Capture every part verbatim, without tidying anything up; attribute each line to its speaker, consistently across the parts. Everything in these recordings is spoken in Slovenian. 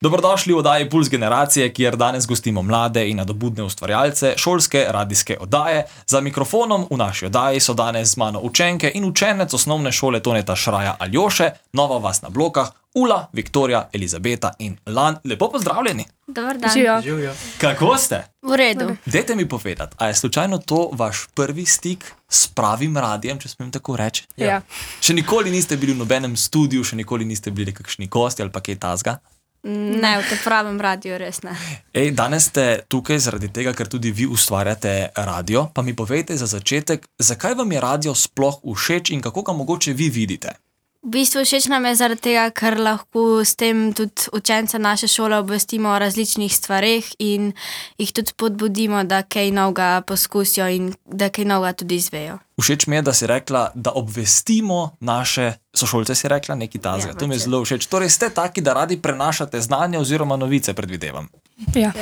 Speaker 1: Dobrodošli v oddaji Puls generacije, kjer danes gostimo mlade in nadobudne ustvarjalce šolske radijske oddaje. Za mikrofonom v naši oddaji so danes z mano učenke in učenec osnovne šole Toneta Šraja Aljoše, nova vas na blokah, Ula, Viktorija, Elizabeta in Lan. Lepo pozdravljeni.
Speaker 2: Dobar dan.
Speaker 3: Živijo.
Speaker 1: Kako ste?
Speaker 2: V redu.
Speaker 1: Dajte mi povedati, a je slučajno to vaš prvi stik s pravim radijem, če smem tako reči?
Speaker 3: Ja.
Speaker 1: Še nikoli niste bili v nobenem studiu, še nikoli niste bili kakšni gosti ali pa kaj tazga?
Speaker 2: Ne, v tem pravem radiju res ne.
Speaker 1: Ej, danes ste tukaj zaradi tega, ker tudi vi ustvarjate radio, pa mi povejte za začetek, zakaj vam je radio sploh všeč in kako ga mogoče vi vidite?
Speaker 2: V bistvu všeč nam je zaradi tega, ker lahko s tem tudi učence naše šole obvestimo o različnih stvareh in jih tudi podbudimo, da kaj novega poskusijo in da kaj novega tudi izvejo.
Speaker 1: Všeč mi je, da si rekla, da obvestimo naše sošolce, si rekla, nekaj tazga.
Speaker 2: Ja,
Speaker 1: to mi je zelo všeč. Torej ste taki, da radi prenašate znanje oziroma novice, predvidevam.
Speaker 3: Ja.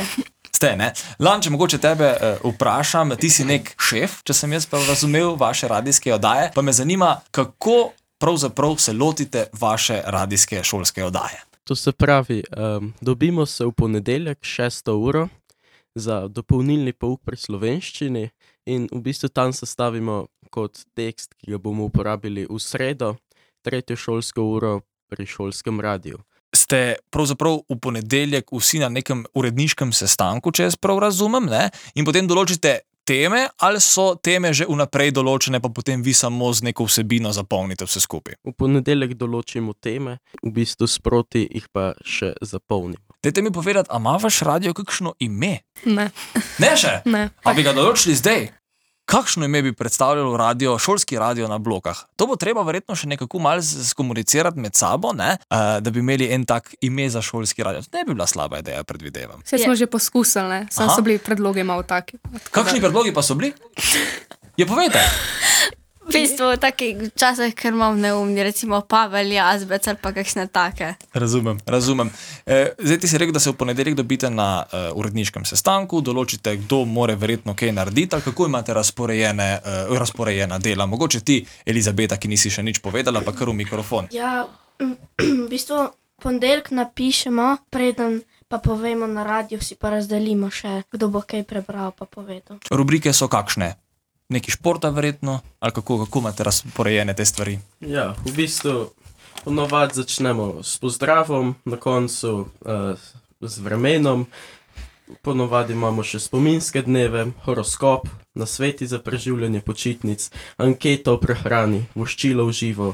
Speaker 1: Ste, ne? Lan, če mogoče tebe uh, vprašam, ti si nek šef, če sem jaz pa razumel vaše radijske oddaje, pa me zanima, kako pravzaprav se lotite vaše radijske šolske oddaje.
Speaker 4: To se pravi, um, dobimo se v ponedeljek šesto uro za dopolnilni pouk pri slovenščini in v bistvu tam sestavimo kot tekst, ki ga bomo uporabili v sredo, tretjo šolsko uro pri šolskem radiju.
Speaker 1: Ste pravzaprav v ponedeljek vsi na nekem uredniškem sestanku, če jaz prav razumem, ne? In potem določite teme, ali so teme že vnaprej določene, pa potem vi samo z neko vsebino zapolnite vse skupaj?
Speaker 4: V ponedeljek določimo teme, v bistvu sproti jih pa še zapolnimo.
Speaker 1: Dajte mi povedati, a ima vaš radio kakšno ime?
Speaker 3: Ne.
Speaker 1: Ne še?
Speaker 3: Ne.
Speaker 1: A bi ga določili zdaj? Kakšno ime bi predstavljalo radio, šolski radio na blokah? To bo treba verjetno še nekako malo skomunicirati med sabo, ne? Uh, da bi imeli en tak ime za šolski radio. Ne bi bila slaba ideja, predvidevam.
Speaker 3: Vse smo že poskusili, ne? Sam
Speaker 1: Aha.
Speaker 3: so bili predlogi malo taki.
Speaker 1: Kakšni predlogi pa so bili? Je, povejte.
Speaker 2: V bistvu v takih časih, ker imam neumni, recimo Pavel, Jazbec ali pa kakšne take.
Speaker 1: Razumem, razumem. E, zdaj ti si rekel, da se v ponedeljek dobite na uh, uredniškem sestanku, določite, kdo more verjetno kaj narediti, ali kako imate razporejene, uh, razporejena dela. Mogoče ti, Elizabeta, ki nisi še nič povedala, pa kar v mikrofon.
Speaker 5: Ja, v bistvu ponedeljek napišemo, preden pa povemo na radiju, si pa razdelimo še, kdo bo kaj prebral pa povedal.
Speaker 1: Rubrike so kakšne? Neki športa verjetno? Ali kako, kako imate razporejene te stvari?
Speaker 4: Ja, v bistvu ponovadi začnemo s pozdravom, na koncu uh, z vremenom, ponovadi imamo še spominske dneve, horoskop, nasveti za preživljanje počitnic, anketo o prehrani, voščilo v živo,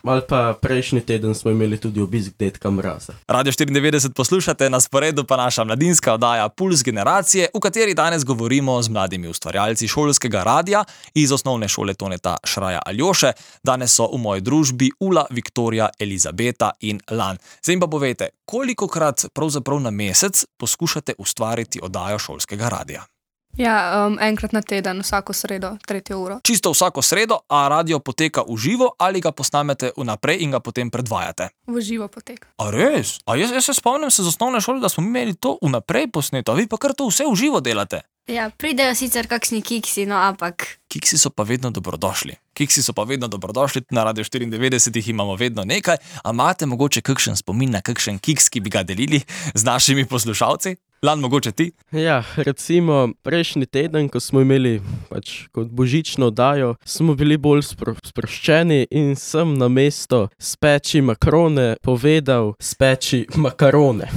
Speaker 4: ali pa prejšnji teden smo imeli tudi obisk dedka Mraza.
Speaker 1: Radio štiriindevetdeset poslušate, na sporedu pa naša mladinska oddaja Puls generacije, v kateri danes govorimo z mladimi ustvarjalci šolskega radia iz osnovne šole Toneta Šraja Aljoše. Danes so v moji družbi Ula, Viktorija, Elizabeta in Lan. Zdaj pa povejte, kolikokrat pravzaprav na mesec poskušate ustvariti oddajo šolskega radia?
Speaker 3: Ja, um, enkrat na teden, vsako sredo, tretjo uro.
Speaker 1: Čisto vsako sredo, a radio poteka v živo ali ga posnamete vnaprej in ga potem predvajate?
Speaker 3: V živo poteka.
Speaker 1: A res? A jaz, jaz se spomnim se z osnovne šole, da smo imeli to vnaprej posneto, a vi pa kar to vse v živo delate?
Speaker 2: Ja, pridejo sicer kakšni kiksi, no, ampak
Speaker 1: Kiksi so pa vedno dobrodošli. Kiksi so pa vedno dobrodošli, na Radio štiriindevetdeset jih imamo vedno nekaj, a imate mogoče kakšen spomin na kakšen kiks, ki bi ga delili z našimi poslušalci? Lan, mogoče ti?
Speaker 4: Ja, recimo prejšnji teden, ko smo imeli pač kot božično oddajo, smo bili bolj spro, sproščeni in sem na mesto speči makrone povedal speči makarone.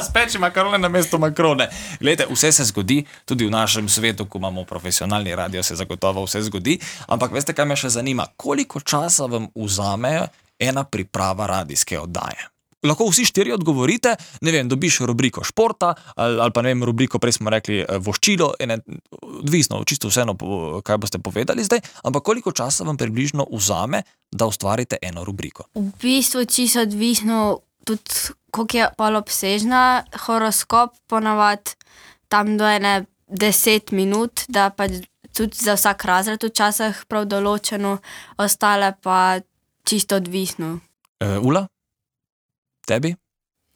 Speaker 1: Speči makarone na mesto makrone. Glejte, vse se zgodi, tudi v našem svetu, ko imamo profesionalni radio, se zagotovo vse zgodi, ampak veste, kaj me še zanima? Koliko časa vam vzame ena priprava radijske oddaje? Lahko vsi štiri odgovorite, ne vem, dobiš rubriko športa ali, ali pa ne vem, rubriko, prej smo rekli voščilo, ene, odvisno, čisto vseeno, kaj boste povedali zdaj, ampak koliko časa vam približno vzame, da ustvarite eno rubriko?
Speaker 2: v bistvu čisto odvisno tudi, koliko je pol obsežna, horoskop ponavadi tam do ene deset minut, da pa tudi za vsak razred včasih prav določeno, ostale pa čisto odvisno.
Speaker 1: E, Ula? Tebi?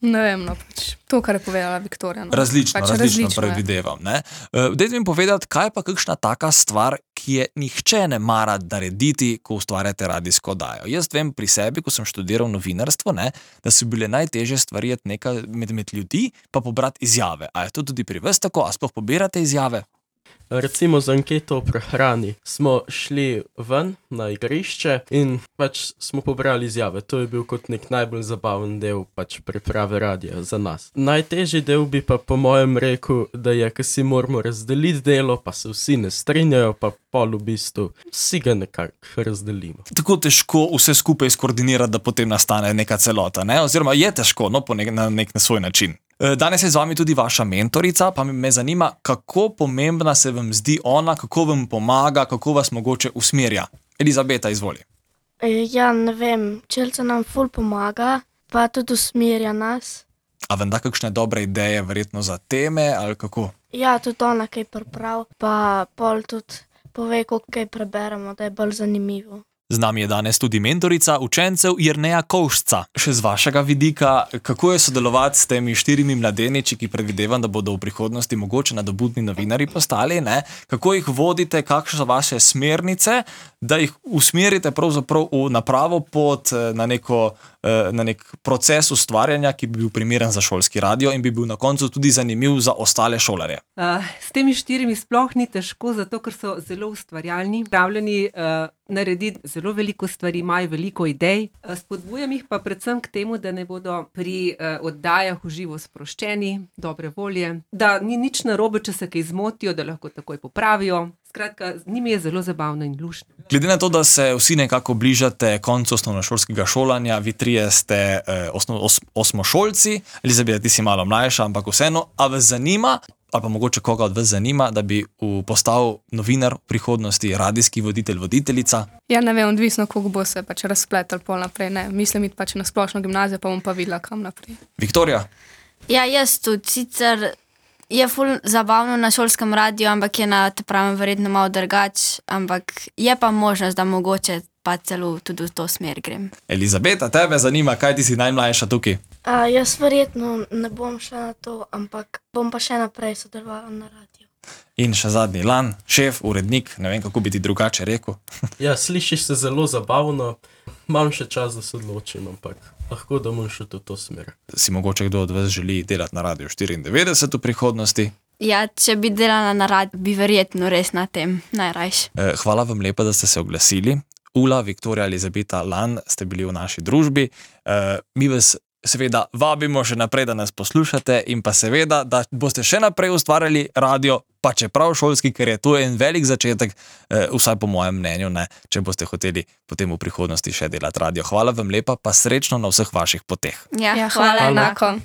Speaker 3: Ne vem, no pač To, kar je povedala Viktorija. No.
Speaker 1: Različno,
Speaker 3: Pač
Speaker 1: različno,
Speaker 3: različno je.
Speaker 1: predvidevam. Ne? Uh, dajte mi povedati, kaj pa kakšna taka stvar, ki je nihče ne mara narediti, ko ustvarjate radijsko oddajo. Jaz vem pri sebi, ko sem študiral novinarstvo, ne, da so bile najtežje stvari iti nekaj med, med ljudi, pa pobrati izjave. A je to tudi pri vas tako? A sploh pobirate izjave?
Speaker 4: Recimo za anketo o prehrani smo šli ven na igrišče in pač smo pobrali izjave. To je bil kot nek najbolj zabaven del pač priprave radija za nas. Najtežji del bi pa po mojem rekel, da je, ko si moramo razdeliti delo, pa se vsi ne strinjajo, pa pol v bistvu vsi ga nekako razdelimo.
Speaker 1: Tako težko vse skupaj skoordinirati, da potem nastane neka celota, ne? Oziroma je težko, no, po nek, na nek na svoj način. Danes je z vami tudi vaša mentorica, pa me zanima, kako pomembna se vam zdi ona, kako vam pomaga, kako vas mogoče usmerja. Elizabeta, izvoli.
Speaker 5: E, ja, ne vem, Čelca nam ful pomaga, pa tudi usmerja nas.
Speaker 1: A vam da kakšne dobre ideje verjetno za teme ali kako?
Speaker 5: Ja, tudi ona kaj priprav, pa pol tudi pove, koliko kaj preberemo, da je bolj zanimivo.
Speaker 1: Z nami je danes tudi mentorica učencev Jerneja Kovšca. Še z vašega vidika, kako je sodelovati s temi štirimi mladeniči, ki predvidevam, da bodo v prihodnosti mogoče nadobudni novinarji postali, ne? Kako jih vodite, kakšne so vaše smernice, da jih usmerite pravzaprav v napravo pot na, neko, na nek proces ustvarjanja, ki bi bil primeren za šolski radio in bi bil na koncu tudi zanimiv za ostale šolarje.
Speaker 6: Uh, s temi štirimi sploh ni težko, zato ker so zelo ustvarjalni, pravljeni uh, narediti zelo veliko stvari, imajo veliko idej. Uh, spodbujam jih pa predvsem k temu, da ne bodo pri uh, oddajah v živo sproščeni, dobre volje, da ni nič narobe, če se kaj zmotijo, da lahko takoj popravijo. Skratka, z njimi je zelo zabavno in luštno.
Speaker 1: Glede na to, da se vsi nekako bližate koncu osnovnošolskega šolanja, vi trije ste eh, osno, os, osmošolci, Elizabeta, ti si malo mlajša, ampak vseeno, a vas zanima, ali pa mogoče koga od vas zanima, da bi v, postal novinar v prihodnosti, radijski voditelj, voditeljica?
Speaker 3: Ja, ne vem, odvisno, koliko bo se pač razpletel pol naprej. Ne, mislim iti pač na splošno gimnazijo, pa bom pa videla, kam naprej.
Speaker 1: Viktorija?
Speaker 2: Ja, jaz tudi, sicer je ful zabavno na šolskem radiju, ampak je na te pravem verjetno malo drugač, ampak je pa možnost, da mogoče pa celo tudi v to smer grem.
Speaker 1: Elizabeta, tebe zanima, kaj ti si najmlajša tukaj?
Speaker 5: A, jaz verjetno ne bom šla na to, ampak bom pa še naprej sodelovala na radiju.
Speaker 1: In še zadnji, Lan, šef, urednik, ne vem, kako bi ti drugače rekel.
Speaker 4: Ja, slišiš se zelo zabavno, imam še čas, da se odločim, ampak lahko da bom šel v to smer.
Speaker 1: Si mogoče kdo od vas želi delati na Radiu štiriindevetdeset v prihodnosti?
Speaker 2: Ja, če bi delala na radiju, bi verjetno res na tem najrajš.
Speaker 1: Eh, hvala vam lepa, da ste se oglasili. Ula, Viktorija, Elizabeta, Lan ste bili v naši družbi. Eh, mi vas seveda vabimo še naprej, da nas poslušate in pa seveda, da boste še naprej ustvarjali radio, pa čeprav šolski, ker je to en velik začetek, eh, vsaj po mojem mnenju, ne, če boste hoteli potem v prihodnosti še delati radio. Hvala vam lepa, pa srečno na vseh vaših poteh.
Speaker 2: Ja,
Speaker 3: Ja, hvala enako.